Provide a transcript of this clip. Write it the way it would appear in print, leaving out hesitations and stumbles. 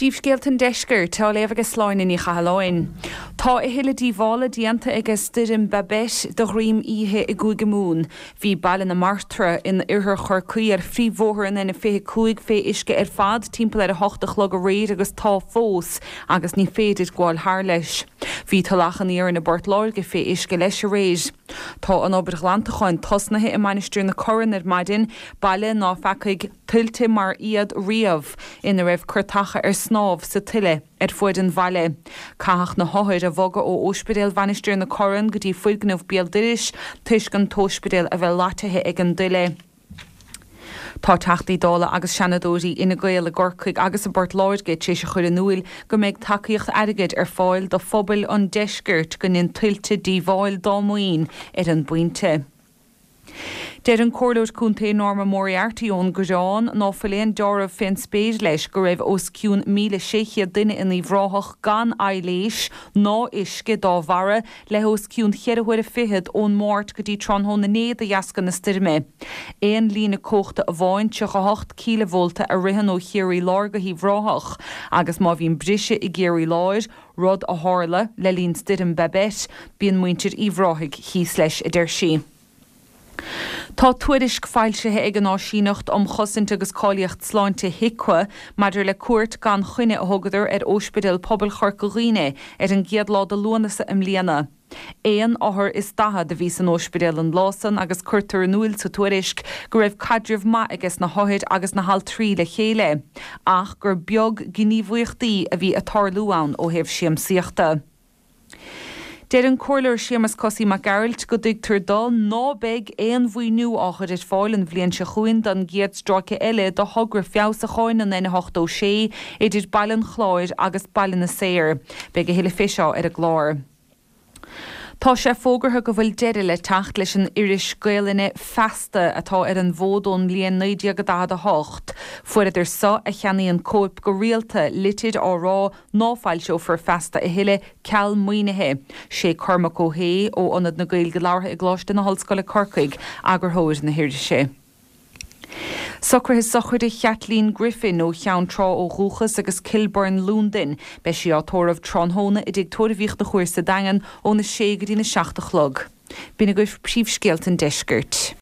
Príomhscéalta an Deiscirt á léamh aige Sláine Ní Chathalláin. Tá a thuilleadh díobhála déanta aige stoirm Babet de dhroim oíche i gCúige Mumhan. Bhí Baile na Martra in oirthear Chorcaí ar phríomhbhóthar an N25 fé uisce ar fad timpeall ar 8 a chlog aréir agus tá fós agus ní féidir gabháil thar leis. Bhí Tulach an Iarainn i bPort Láirge fé uisce leis aréir. Tá an obair ghlantacháin tosnaithe i Mainistir na Corann ar maidin, baile ná feacaigh tuilte mar iad riamh, ina raibh curtacha ar snámh sa tuile ar fuaid an bhaile. Caitheadh na hothair a bhogadh ó Óispidéal Mhainistir na Corann go dtí foirgneamh béal dorais toisc an t-óispidéal a bheith loitithe ag an dtuile. Tá Teachtaí Dála agus Seanadóirí Fhine Gael i gCorcaigh agus i bPort Láirge tar éis a chur in úil go mbeidh tacaíocht airgid ar fáil do phobail an deiscirt go ndein tuilte díobháil dá maoin ar an bpointe. Deir an Comhairleoir Contae Norma Moriarty ón gCoireán ná fuil aon deáramh fén spéir leis go raibh os cionn 1,600 duine in Uíbh Ráthach gan aibhléis ná uisce dá bharra le os cionn cheithre huaire fichead ón Máirt go dtí tráthnóna inné de dheasca na stoirme. Aon líne cumhachta amháin, 38 cíleavólta, a ritheann ó Chiarraí Láir go hUíbh Ráthach agus má bhíonn briseadh i gCiarraí Láir, rud a tharla le linn stoirm Babet, bíonn muintir Uíbh Ráthaigh thíos leis, a deir sí. Tá tuairisc foilsithe ag an Áisíneacht um Chosaint agus Cáilíocht Sláinte, HIQA, maidir le cuairt gan choinne a thugadar ar Óispidéal Pobail Chorca Dhuibhne ar an gcéad lá de Lúnasa i mbliana. Aon othar is 40 a bhí san óispidéal an lá san agus cuirtear in úil sa tuairisc go raibh caidreamh maith aiges na hothair agus na haltraí le chéile ach gur beag gníomhaíochtaí a bhí ag tarlú ann ó thaobh siamsaíochta. Deir an Comhairleoir Séamus Cosaí Mac Gearailt go dtuigtear dó ná beidh aon mhaoiniú á chur ar fáil an bhliain seo chugainn don gcéad stráice eile de thogra feabhsúcháin an N86 idir Baile an Chláir agus Baile na Saor. Beidh a thuilleadh fé seo ar an gclár. Tá sé fógartha go bhfuil deireadh le teacht leis an iris Gaelainne Feasta atá ar an bhfód ón mbliain 1948. Fuaireadar so, a cheannaíonn cóip go rialta, litir á rá ná foilseofar Feasta a thuilleadh ceal maoinithe. Sé Cormac Ó hAodha ó Ionad na Gaeilge Labhartha i gColáiste na hOllscoile Corcaigh eagarthóir na hirise. Socruithe sochraide Chaitlín Griffin, ó Cheann Trá ó dhúchas agus Kilburn, Lúndain. Beidh sí á tórramh tráthnóna i dTigh Tórraimh Uí Chonchúir sa Daingean óna sé go dtína 7 a chlog. B'in agaibh príomhscéalta an deiscirt.